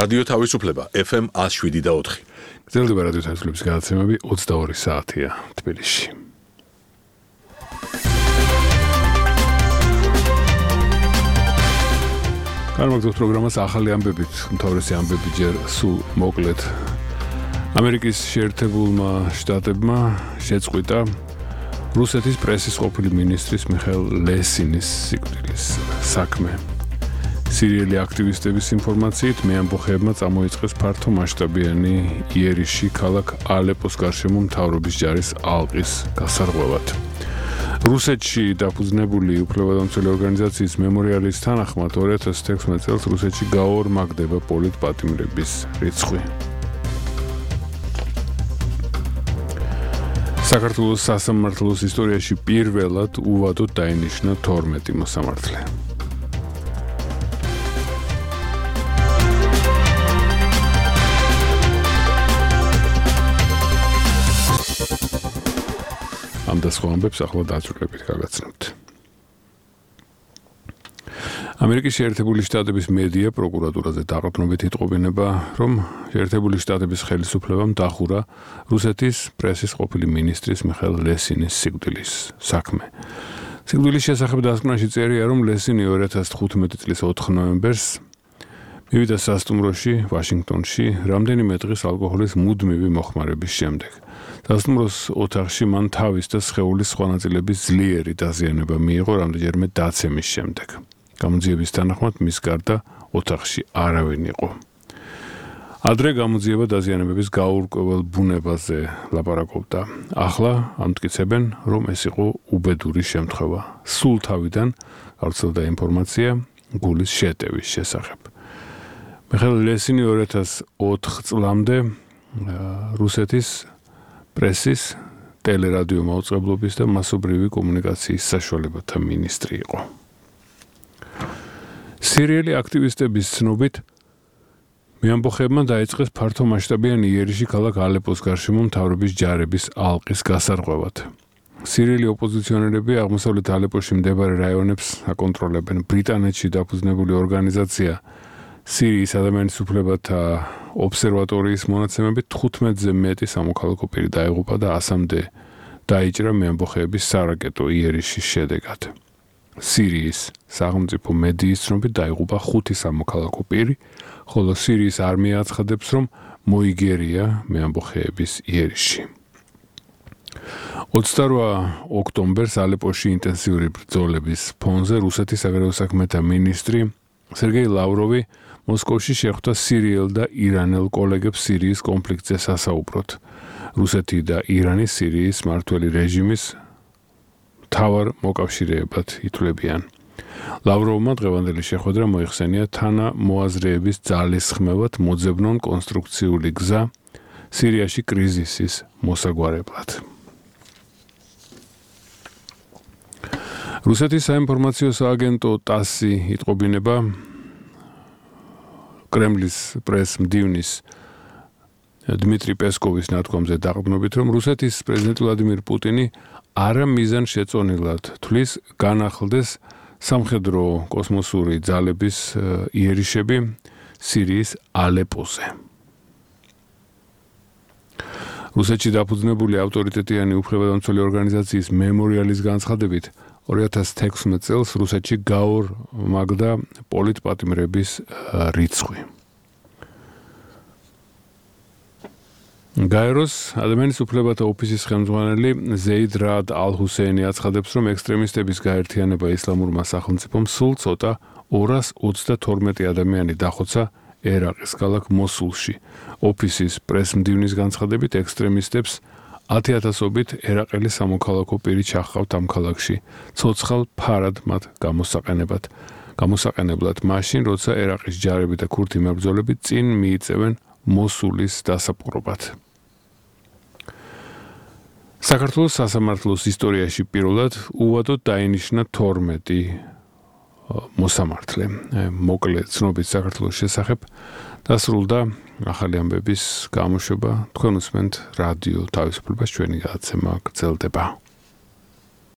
რადიო თავისუფლება FM 107.4. გრძელდება რადიო თავისუფლების გადაცემები 22 საათია თბილისში. გამოგზავნოთ პროგრამას ახალი ამბებით, უმთავრესი ამბები ჯერ სულ მოკლედ. ამერიკის შეერთებულმა შტატებმა შეწყვიტა რუსეთის პრესის ყოფილი მინისტრის მიხაილ ლესინის სიკვდილის საქმე. სირიელი აქტივისტების ინფორმაციით მეამბოხეებმა წამოიწყეს ფართო მასშტაბიანი იერიში ქალაქ ალეპოს გარშემო მთავრობის ჯარის ალყის გასარღვევად. რუსეთში დაფუძნებული უფლებადამცველი ორგანიზაციის მემორიალის თანახმად 2016 წელს რუსეთში გაორმაგდება პოლიტპატიმრების რიცხვი. საქართველოს სასამართლოს ისტორიაში პირველად უვადოდ დაინიშნა 12 მოსამართლე. ამ და სხვა ამბებს ახლა დაწვრილებით გაგაცნობთ. ამერიკის შეერთებული შტატების მედია პროკურატურაზე დაყრდნობით იტყობინება, რომ შეერთებული შტატების ხელისუფლებამ დახურა რუსეთის პრესის ყოფილი მინისტრის მიხაილ ლესინის სიკვდილის საქმე. სიკვდილის შესახებ დასკვნაში წერია, რომ ლესინი 2015 წლის 4 ნოემბერს მივიდა სასტუმროში ვაშინგტონში რამდენიმე დღის ალკოჰოლის მუდმივი მოხმარების შემდეგ. სასტუმროს ოთახში მან თავის და სხეულის სხვა ნაწილების ძლიერი დაზიანება მიიღო რამდენჯერმე დაცემის შემდეგ. გამოძიების თანახმად მის გარდა ოთახში არავინ იყო. ადრე გამოძიება დაზიანებების გაურკვეველ ბუნებაზე ლაპარაკობდა. ახლა ამტკიცებენ, რომ ეს იყო უბედური შემთხვევა. სულ თავიდან გავრცელდა ინფორმაცია გულის შეტევის შესახებ. მიხაილ ლესინი 2004 წლამდე რუსეთის პრესის, ტელერადიო მაუწყებლობის და მასობრივი კომუნიკაციის საშუალებათა მინისტრი იყო. სირიელი აქტივისტების ცნობით მეამბოხეებმა დაიწყეს ფართო მასშტაბიანი იერიში ქალაქ ალეპოს გარშემო მთავრობის ჯარების ალყის გასარღვევად. სირიელი ოპოზიციონერები აღმოსავლეთ ალეპოში მდებარე რაიონებს აკონტროლებენ. ბრიტანეთში დაფუძნებული ორგანიზაცია სირიის ადამიანის უფლებათა ობსერვატორიის მონაცემებით 15-ზე მეტი სამოქალაქო პირი დაიღუპა და 100-მდე დაიჭრა მეამბოხეების სარაკეტო იერიშის შედეგად. სირიის სახელმწიფო მედიის ცნობით დაიღუპა 5 სამოქალაქო პირი, ხოლო სირიის არმია აცხადებს, რომ მოიგერია მეამბოხეების იერიში. 28 ოქტომბერს ალეპოში ინტენსიური ბრძოლების ფონზე რუსეთის საგარეო საქმეთა მინისტრი სერგეი ლავროვი მოსკოვში შეხვდა სირიელ და ირანელ კოლეგებს სირიის კონფლიქტზე სასაუბროდ. რუსეთი და ირანი სირიის მმართველი რეჟიმის მთავარ მოკავშირეებად ითვლებიან. ლავროვმა დღევანდელი შეხვედრა მოიხსენია თანამოაზრეების ძალისხმევად მოძებნონ კონსტრუქციული გზა სირიაში კრიზისის მოსაგვარებლად. რუსეთის საინფორმაციო სააგენტო ტასი იტყობინება კრემლის პრეს-მდივნის დმიტრი პესკოვის ნათქვამზე დაყრდნობით, რომ რუსეთის პრეზიდენტი ვლადიმირ პუტინი არა მიზანშეწონილად თვლის განახლდეს სამხედრო კოსმოსური ძალების იერიშები სირიის ალეპოზე. რუსეთში დაფუძნებული ავტორიტეტიანი უფლებადამცველი ორგანიზაციის მემორიალის განცხადებით 2016 წელს რუსეთში გაორმაგდა პოლიტპატიმრების რიცხვი. გაეროს ადამიანის უფლებათა ოფისის ხელმძღვანელი ზეიდ რაად ალ-ჰუსეინი აცხადებს, რომ ექსტრემისტების გაერთიანება ისლამურმა სახელმწიფომ სულ ცოტა 232 ადამიანი დახოცა ერაყის ქალაქ მოსულში. ოფისის პრეს-მდივნის განცხადებით ექსტრემისტებს 10,000-ობით ერაყელი სამოქალაქო პირი ჩახყავთ ამ ქალაქში, ცოცხალ ფარად მათ გამოსაყენებლად მაშინ, როცა ერაყის ჯარები და ქურთი მებრძოლები წინ მიიწევენ მოსულის დასაპყრობად. საქართველოს სასამართლოს ისტორიაში პირველად უვადოდ დაინიშნა 12 მოსამართლე. მოკლე ცნობით საქართველოს შესახებ დასრულდა ახალი ამბების გამოშვება. თქვენ უსმენთ რადიო თავისუფლებას, ჩვენი გადაცემა გრძელდება.